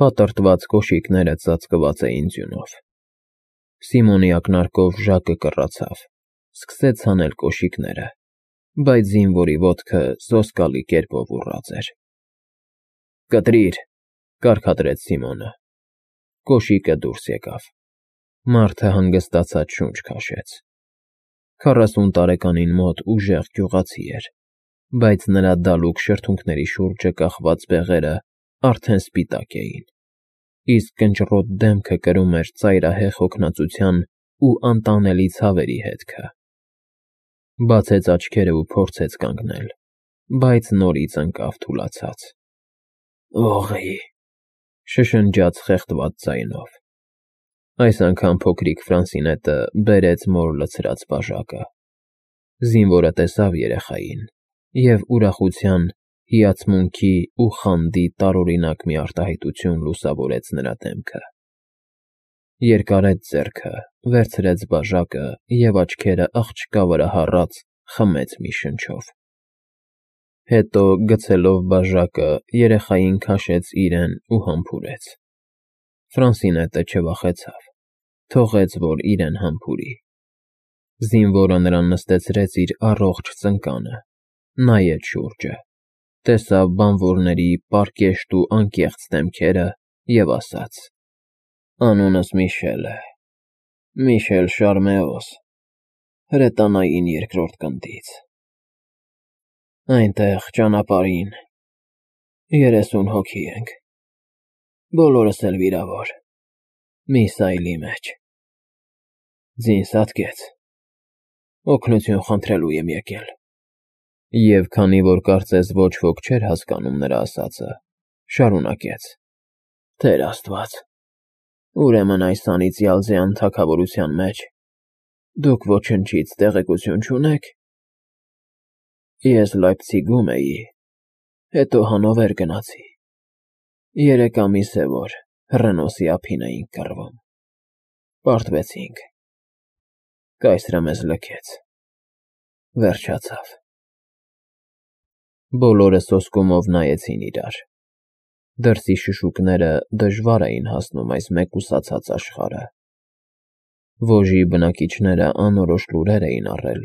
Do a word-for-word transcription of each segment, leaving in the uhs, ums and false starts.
Պատրտված կոշիկները ծածկված էին ձյունով։ Սիմոնի ակնարկով Ժակը կռացավ, սկսեց հանել կոշիկները, բայց զինվորի ոտքը սոսկալի կերպով ուռած էր։ «Կտրիր», կարգադրեց Սիմոնը։ Կոշիկը դուրս եկավ։ Մարդը հանգստացած շունչ քաշեց։ Քառասուն տարեկանին մոտ ուժեղ գյուղացի էր, բայց նրա դալուկ շրթունքների շուրջը կախված բեղերը արդեն սպիտակ էին, իսկ կնճռոտ դեմքը կրում էր ծայրահեղ հոգնածության ու անտանելի ցավերի հետքը։ Բացեց աչքերը ու փորձեց կանգնել, բայց նորից ընկավ թուլացած։ «Ուղղի», շշնջաց խեղդված ձայնով։ Այս անգամ փոքրիկ Ֆրանսինետը բերեց մոր լցրած բաժակը։ Զինվորը տեսավ երեխային, և ուրախության, հիացմունքի ու խանդի տարօրինակ մի արտահայտություն լուսավորեց նրա դեմքը։ Երկարեց ձեռքը, վերցրեց բաժակը և աչքերը աղջկա վրա հառած խմեց մի շնչով։ Հետո, գցելով բաժակը, երեխային քաշեց իրեն ու համբուրեց։ Ֆրանսինետը չվախեցավ, թողեց, որ իրեն համբուրի։ Զինվորը նրան նստեցրեց իր առողջ ծնկանը, նայեց շուրջը, տեսավ բանվորների պարկեշտ ու անկեղծ դեմքերը և ասաց. «Անունս Միշել է, Միշել Շարմեոս, հրետանային երկրորդ գնդից։ Այնտեղ, ճանապարհին, երեսուն հոգի ենք, բոլորս էլ վիրավոր, մի սայլի մեջ։ Ձին սատկեց, օգնություն խնդրելու եմ եկել»։ Եվ քանի որ կարծես ոչ ոք չէր հասկանում նրա ասածը, շարունակեց. «Տեր Աստված, ուրեմն այս անիծյալ ձյան թագավորության մեջ դուք ոչնչից տեղեկություն չունե՞ք։ Ես Լայպցիգում էի, հետո Հանովեր գնացի, երեք ամիս է, որ հռենոսի ափին էինք կռվում, պարտվեցինք, կայսրը մեզ լքեց, վերջացավ»։ Բոլորը սոսկումով նայեցին իրար։ Դրսի շշուկները դժվար էին հասնում այս մեկուսացած աշխարհը։ Ոժի բնակիչները անորոշ լուրեր էին առել,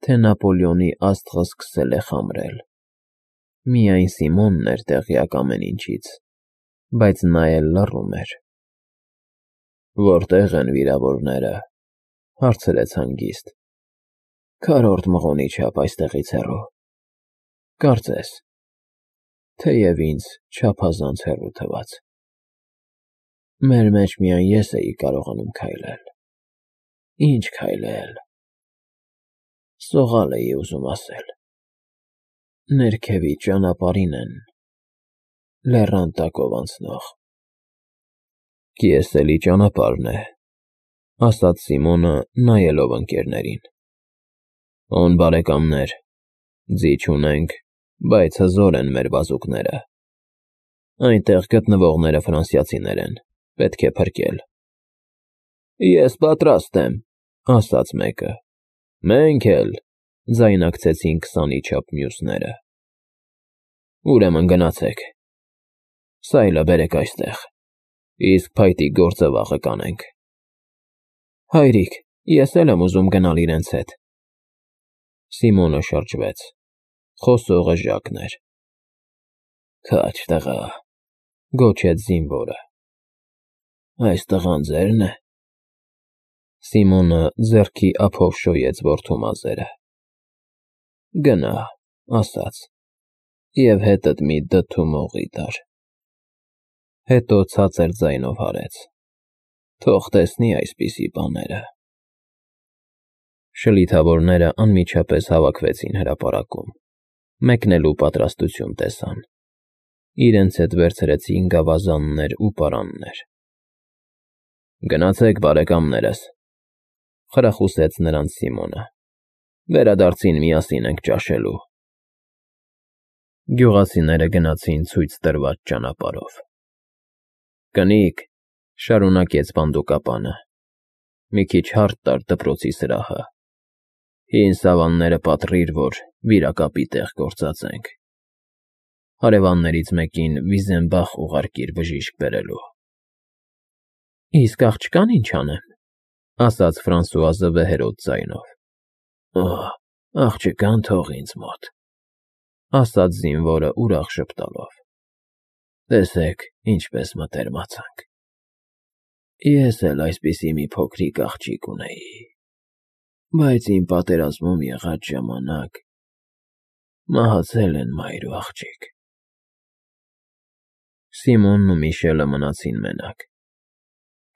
թե Նապոլեոնի աստղը սկսել է խամրել։ Միայն Սիմոնն էր տեղյակ ամեն ինչից, բայց նա էլ լռում էր։ «Որտե՞ղ են վիրավորները», հարցրեց հանգիստ։ «Քառորդ մղոնի չափ այստեղից հեռու, կարծես, թեև ինձ չափազանց հեռու թվաց։ Մեր մեջ միայն ես էի կարողանում քայլել։ Ինչ քայլել… Սողալ էի ուզում ասել… Ներքևի ճանապարհին են, լեռան տակով անցնող»։ «Կիեսելի ճանապարհն է», ասաց Սիմոնը, նայելով ընկերներին։ «Օն բարեկամներ, ձի չունենք, բայց հզոր են մեր բազուկները։ Այնտեղ գտնվողները ֆրանսիացիներ են, պետք է փրկել»։ «Ես պատրաստ եմ», ասաց մեկը։ «Մենք էլ», ձայնակցեցին քսանի չափ մյուսները։ «Ուրեմն գնացեք, սայլը բերեք այստեղ, իսկ փայտիկ գործը վաղը կանենք»։ «Հայրիկ, ես էլ եմ ուզում գնալ իրենց հետ»։ Սիմոնը շրջվեց, խոսողը Ժակն էր։ «Քաջ տղա», գոչեց զինվորը։ «Այս տղան ձե՞րն է»։ Սիմոնը ձեռքի ափով շոյեց որդու մազերը։ «Գնա», ասաց, և հետդ մի դդու մողի տար։ Հետո ցածր ձայնով հարեց. «Թող տեսնի այսպիսի բաները»։ Շլիթավորները անմիջապես հավաքվեցին հրապարակում, մեկնելու պատրաստություն տեսան։ Իրենց հետ վերցրեցին գավազաններ ու պարաններ։ «Գնացեք, բարեկամներս», խրախուսեց նրանց Սիմոնը։ «Վերադարձին միասին ենք ճաշելու»։ Գյուղացիները գնացին ցույց տրված ճանապարհով։ «Կնիկ», շարունակեց պանդուկապանը, մի քիչ հարթ տար դպրոցի սրահը, հին սավանները պատռիր, որ վիրակապի տեղ գործածենք։ Հարևաններից մեկին Վիզենբախ ուղարկիր բժիշկ բերելու։ Իսկ աղջկան ինչ անեմ, ասաց Ֆրանսուազը վեհերոտ ձայնով։ Օ, աղջկան թող ինձ մոտ, ասաց զինվորը ուրախ ժպտալով։ Տեսեք, ինչպես մտերմացանք։ Ես էլ այսպիսի մի փոքրիկ աղջիկ ունեի, բայց իմ պատերազմում եղած ժամանակ մահացել են մայր ու աղջիկ։ Սիմոնն ու Միշելը մնացին մենակ։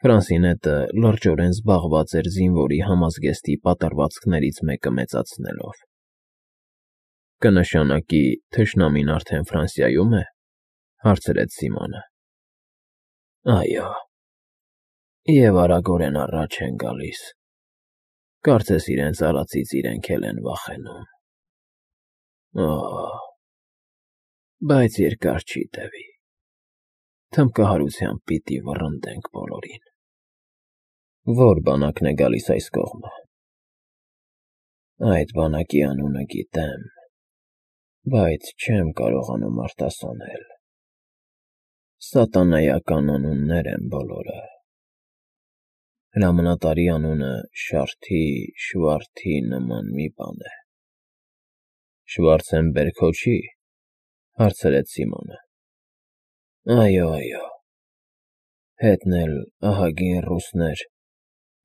Ֆրանսինետը լրջորեն զբաղված էր զինվորի համազգեստի պատառվածքներից մեկը մեծացնելով։ Կնշանակի թշնամին արդեն Ֆրանսիայում է, հարցրեց Սիմոնը։ Այո, և արագորեն առաջ են գալիս, կարծես իրենց արածից իրենք էլ են վախենում։ Օ, բայց երկար չի տևի, թմբկահարությամբ պիտի վռնդենք բոլորին։ Ո՞ր բանակն է գալիս այս կողմը։ Այդ բանակի անունը գիտեմ, բայց չեմ կարողանում արտասանել։ Սատանայական անուններ են բոլորը։ Հրամանատարի անունը Շարթի, Շվարթի նման մի բան է։ Շվարցենբերգ հո չի, հարցրեց Սիմոնը։ Այո, այո, հետն էլ ահագին ռուսներ,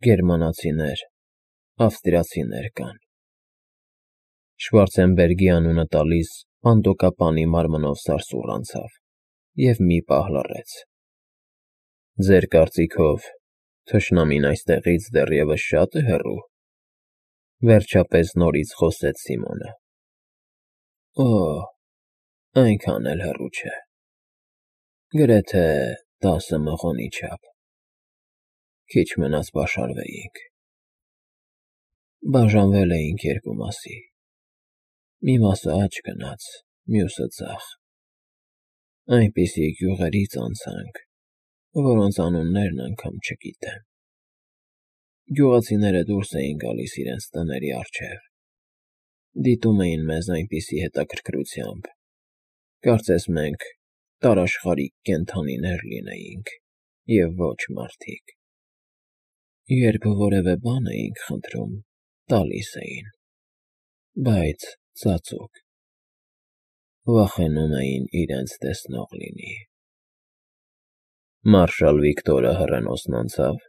գերմանացիներ, ավստրիացիներ կան։ Շվարցենբերգի անունը տալիս պանդոկապանի մարմնով սարսուռ անցավ և մի պահ լռեց։ Ձեր կարծիքով թշնամին այստեղից դեռևս շա՞տ է հեռու, վերջապես նորից խոսեց Սիմոնը։ Օ, այնքան էլ հեռու չէ, գրեթե տասը մղոնի չափ, քիչ մնաց բաշարվեինք։ Բաժանվել էինք երկու մասի, մի մասը աջ գնաց, մյուսը ձախ։ Այնպիսի գյուղերից անցանք, որոնց անուններն անգամ չգիտեմ։ Գյուղացիները դուրս էին գալիս իրենց տների առջև, դիտում էին մեզ այնպիսի հետաքրքրությամբ, կարծես մենք տարաշխարհիկ կենդանիներ լինեինք և ոչ մարդիկ։ Երբ որևէ բան էինք խնդրում, տալիս էին, բայց ծածուկ, վախենում էին իրենց տեսնող լինի։ Մարշալ Վիկտորը հեռենոսն անցա՞վ։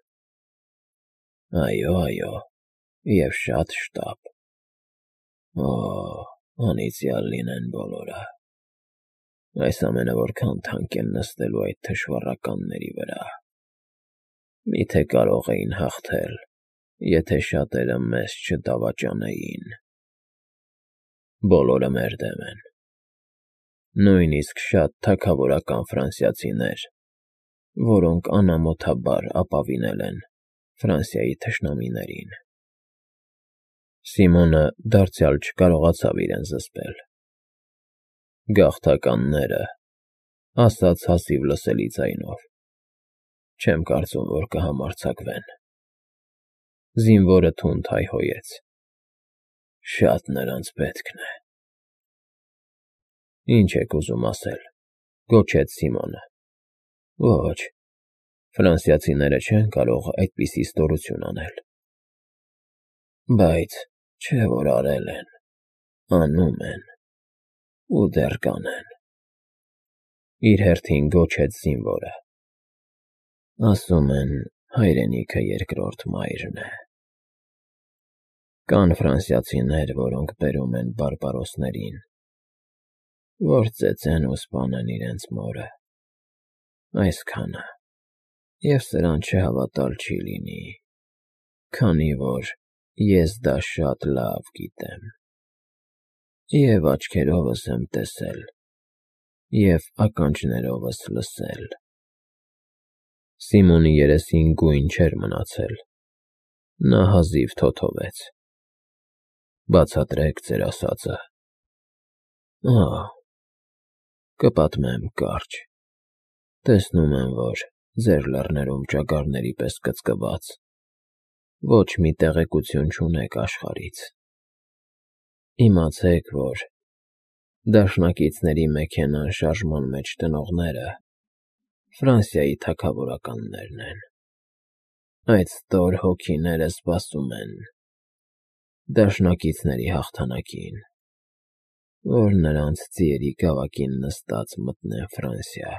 Այո, այո, և շատ շտապ։ Օ, անիծյալ լինեն բոլորը։ Այս ամենը որքան թանկ են նստելու այդ թշվառականների վրա։ Միթե կարող էին հաղթել, եթե շատերը մեզ չդավաճանեին։ Բոլորը մեր դեմ են, նույնիսկ շատ թագավորական ֆրանսիացիներ, որոնք անամոթաբար ապավինել են Ֆրանսիայի թշնամիներին։ Սիմոնը դարձյալ չկարողացավ իրեն զսպել։ Գաղթականները, ասաց հազիվ լսելի ձայնով, չեմ կարծում, որ կհամարձակվեն։ Զինվորը թունդ հայհոյեց։ Շատ նրանց պետքն է։ Ինչ եք ուզում ասել, գոչեց Սիմոնը։ Ոչ, ֆրանսիացիները չեն կարող այդպիսի ստորություն անել։ Բայց չէ որ արել են, անում են ու դեռ կանեն։ Իր հերթին գոչեց զինվորը։ Ասում են, հայրենիքը երկրորդ մայրն է։ Կան ֆրանսիացիներ, որոնք բերում են բարբարոսներին, որ ծեծեն ու սպանեն իրենց մորը։ Այսքանը, և սրան չհավատալ չի լինի, քանի որ ես դա շատ լավ գիտեմ, և աչքերովս եմ տեսել, և ականջներովս լսել։ Սիմոնի երեսին գույն չէր մնացել, նա հազիվ թոթվեց։ Բացատրեք ձեր ասածը։ Ահ, կպատմեմ կարճ։ Տեսնում եմ, որ ձեր լեռներում ճագարների պես կծկված, ոչ մի տեղեկություն չունեք աշխարհից։ Իմացեք, որ Դաշնակիցների մեքենան շարժման մեջ տնողները Ֆրանսիայի թագավորականներն են։ Այդ ստոր հոգիները սպասում են դաշնակիցների հաղթանակին, որ նրանց ձիերի գավակին նստած մտնեն Ֆրանսիա,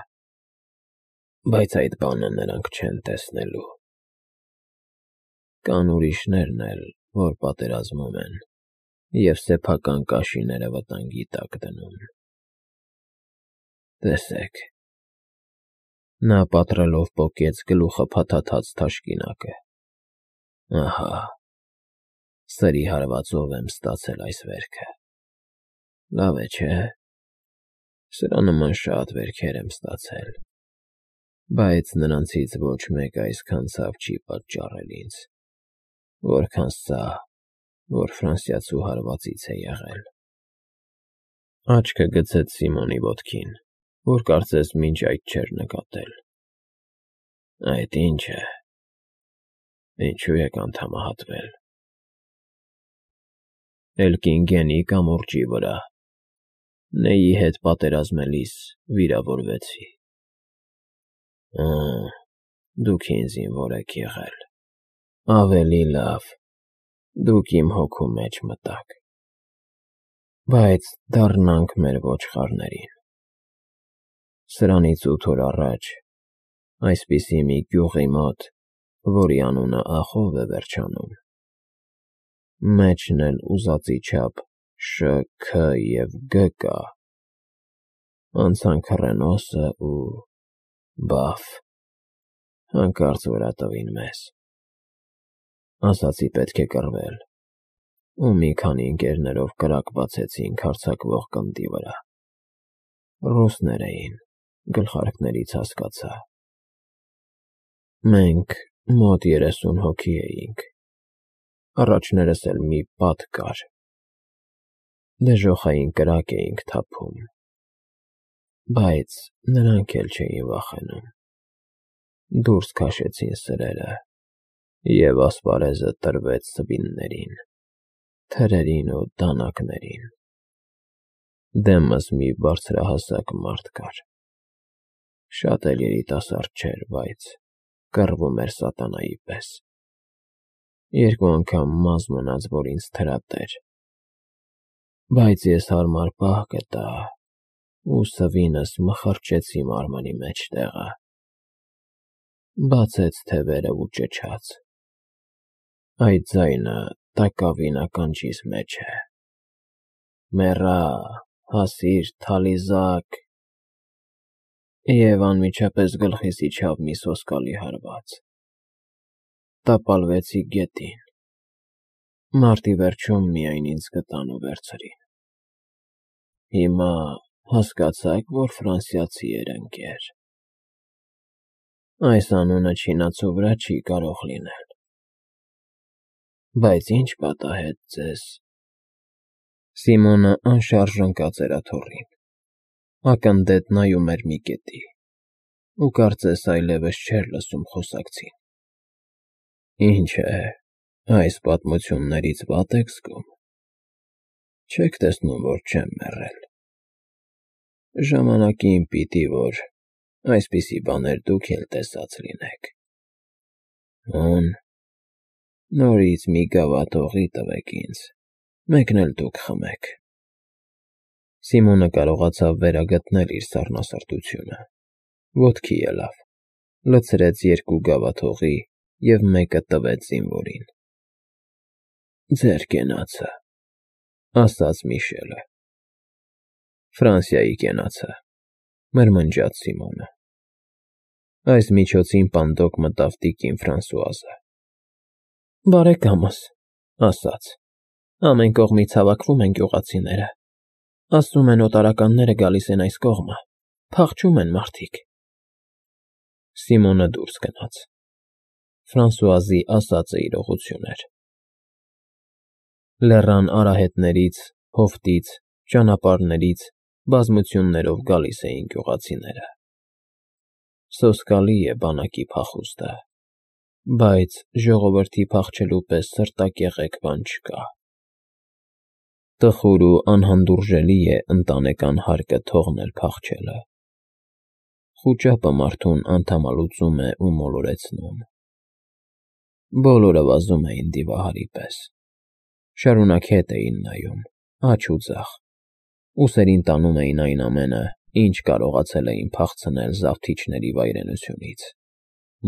բայց այդ բանը նրանք չեն տեսնելու։ Կան ուրիշներն էլ, որ պատերազմում են և սեփական կաշիները վտանգի տակ դնում։ Տեսեք։ Նա պատռելով պոկեց գլուխը փաթաթած թաշկինակը։ Ահա, սրի հարվածով եմ ստացել այս վերքը։ Լավ է, չէ՞։ Սրա նման շատ վերքեր եմ ստացել, բայց նրանցից ոչ մեկը այսքան ցավ չի պատճառել ինձ, որքան սա, որ ֆրանսիացու հարվածից է եղել։ Աչքը գցեց Սիմոնի ոտքին, որ կարծես մինչ այդ չէր նկատել։ Այդ ի՞նչ է։ Ինչու եք անդամահատվել։ Էլկինգենի կամուրջի վրա։ Նեյի հետ պատերազմելիս վիրավորվեցի։ Ա, դուք ինձ զինվոր եք եղել։ Ավելի լավ, դուք իմ հոգու մեջ մտաք։ Բայց դառնանք մեր ոչխարներին։ Սրանից ութ օր առաջ այսպիսի մի գյուղի մոտ, որի անունը Ախով է վերջանում, մեջն էլ ուզածի չափ Շ, Ք և Գ կա, անցան քռենոսը ու բաֆ, հանկարծ վրա տվին մեզ։ Ասացի պետք է կռվել, ու մի քանի ընկերներով կրակ բացեցինք հարձակվող գնդի վրա։ Ռուսներ էին, գլխարկներից հասկացա։ Մենք մոտ երեսուն հոգի էինք, առաջներս էլ մի պատ կար։ Դժոխային կրակ էինք թափում, բայց նրանք էլ չէին վախենում։ Դուրս քաշեցին սրերը, և ասպարեզը տրվեց սվիններին, թրերին ու դանակներին։ Դեմս մի բարձրահասակ մարդ կար։ Շատ էլ երիտասարդ չէր, բայց կռվում էր սատանայի պես։ Երկու անգամ մազ մնաց, որ ինձ թրատեր, բայց ես հարմար պահ գտա ու սվինս մխրճեցի մարմնի մեջտեղը։ Բացեց թևերը ու ճչաց. այդ ձայնը տակավին ականջիս մեջ է. «Մեռա, հասիր թալիզակ», և անմիջապես գլխիս իջավ մի սոսկալի հարված։ Տապալվեցի գետին։ Մարտի վերջում միայն ինձ գտան ու վերցրին։ Հիմա հասկացա՞ք, որ ֆրանսիացի էր, ընկեր։ Այս անունը չինացու վրա չի կարող լինել։ Բայց ի՞նչ պատահեց ձեզ։ Սիմոնը անշարժ ընկած էր աթոռին, ակնդետ նայում էր մի կետի, ու կարծես այլևս չէր լսում խոսակցին։ Ինչ է, այս պատմություններից վատ եք զգում։ Չեք տեսնում, որ չեմ մեռել։ Ժամանակին պիտի որ այսպիսի բաներ դուք էլ տեսած լինեք։ Հոն, նորից մի գավաթ օղի տվեք ինձ, մեկն էլ դուք խմեք։ Սիմոնը կարողացավ վերագտնել իր սառնասրտությունը, ոտքի ելավ, լցրեց երկու գավաթ օղի և մեկը տվեց զինվորին։ Ձեր կենացը, ասաց Միշելը։ Ֆրանսիայի կենացը, մրմնջաց Սիմոնը։ Այս միջոցին պանդոկ մտավ տիկին Ֆրանսուազը։ Բարեկամս, ասաց, ամեն կողմից հավաքվում են գյուղացիները, ասում են օտարականները գալիս են այս կողմը, փախչում են մարդիկ։ Սիմոնը դուրս գնաց։ Ֆրանսուազի ասածը իրողություն էր։ Լեռան արահետներից, հովտից, ճանապարհներից բազմություններով գալիս էին գյուղացիները։ Սոսկալի է բանակի փախուստը, բայց ժողովրդի փախչելու պես սրտակեղեկ բան չկա։ Տխուր ու անհանդուրժելի է ընտանեկան հարկը թողնել փախչելը։ Խուճապը մարդուն անդամալուծում է ու մոլորեցնում։ Բոլորը վազում էին դիվահարի պես։ Շարունակ հետ էին նայում, աջ ու ձախ, ուսերին տանում էին այն ամենը, ինչ կարողացել էին փախցնել զավթիչների վայրենությունից՝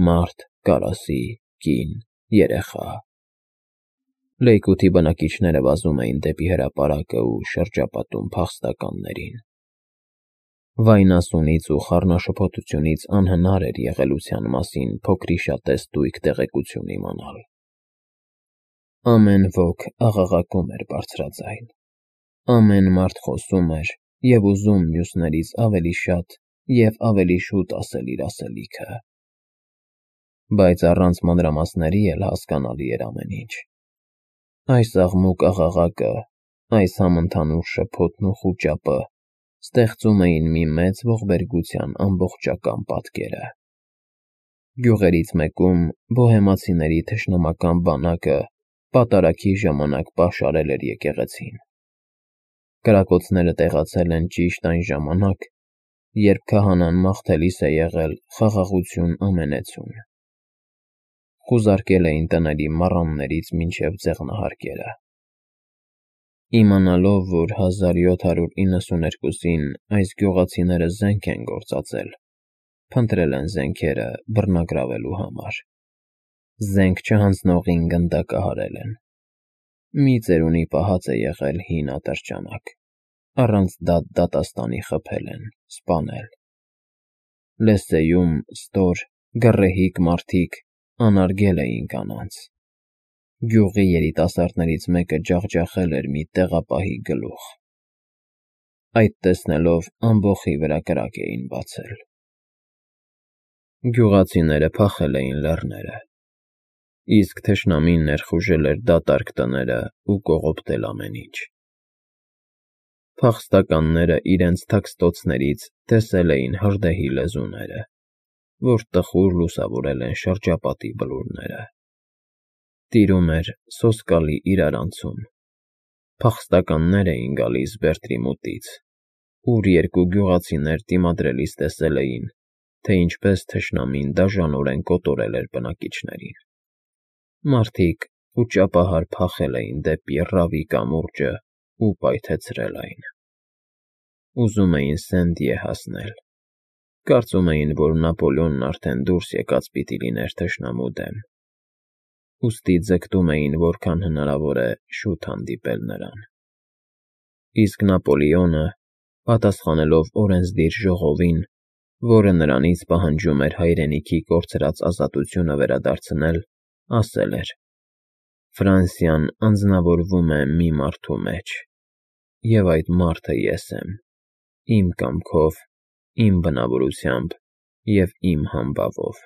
մարդ, կարասի, կին, երեխա։ Լեյքութի բնակիչները վազում էին դեպի հրապարակը ու շրջապատում փախստականներին։ Վայնասունից ու խառնաշփոթությունից անհնար էր եղելության մասին փոքրիշատե ստույգ տեղեկություն իմանալ։ Ամեն ոք աղաղակում էր բարձրաձայն, ամեն մարդ խոսում էր և ուզում մյուսներից ավելի շատ և ավելի շուտ ասել իր ասելիքը։ Բայց առանց մանրամասների էլ հասկանալի էր ամեն ինչ։ Այս աղմուկ աղաղակը, այս համընդհանուր շփոթն ու խուճապը ստեղծում էին մի մեծ ողբերգության ամբողջական պատկերը։ Գյուղերից մեկում բոհեմացիների թշնամական բանակը պատարագի ժամանակ պաշարել էր եկեղեցին։ Կրակոցները տեղացել են ճիշտ այն ժամանակ, երբ քահանան մաղթելիս է եղել «Խաղաղություն ամենեցուն»։ Խուզարկել էին տների մառաններից մինչև ձեղնահարկերը։ Իմանալով, որ հազար յոթ հարյուր իննսուներկուսին այս գյուղացիները զենք են գործածել, փնտրել են զենքերը բռնագրավելու համար։ Զենք չհանձնողին գնդակահարել են։ Մի ծերունի պահած է եղել հին ատրճանակ, առանց դատ֊դատաստանի խփել են, սպանել։ Լեսսեում ստոր, գռեհիկ մարդիկ անարգել էին կանանց։ Գյուղի երիտասարդներից մեկը ջախջախել էր մի տեղապահի գլուխ։ Այդ տեսնելով ամբոխի վրա կրակ էին բացել։ Գյուղացիները փախել էին լեռները, իսկ թշնամին ներխուժել էր դատարկ տները ու կողոպտել ամեն ինչ։ Փախստականները իրենց թաքստոցներից տեսել էին հրդեհի լեզուները, որ տխուր լուսավորել են շրջապատի բլուրները։ Տիրում էր սոսկալի իրարանցում։ Փախստականներ էին գալիս Բերտրի մոտից, ուր երկու գյուղացիներ դիմադրելիս տեսել էին, թե ինչպես թշնամին դաժանորեն կոտորել էր բնակիչներին։ Մարդիկ խուճապահար փախել էին դեպի Ռավի կամուրջն ու պայթեցրել այն։ Ուզում էին Սենտիե հասնել։ Կարծում էին, որ Նապոլեոնն արդեն դուրս եկած պիտի լիներ թշնամու դեմ, ուստի ձգտում էին որքան հնարավոր է շուտ հանդիպել նրան։ Իսկ Նապոլեոնը, պատասխանելով օրենսդիր ժողովին, որը նրանից պահանջում էր հայրենիքի կորցրած ազատությունը վերադարձնել, ասել էր. «Ֆրանսիան անձնավորվում է մի մարդու մեջ, և այդ մարդը ես եմ, իմ կամքով, իմ բնավորությամբ և իմ համբավով»։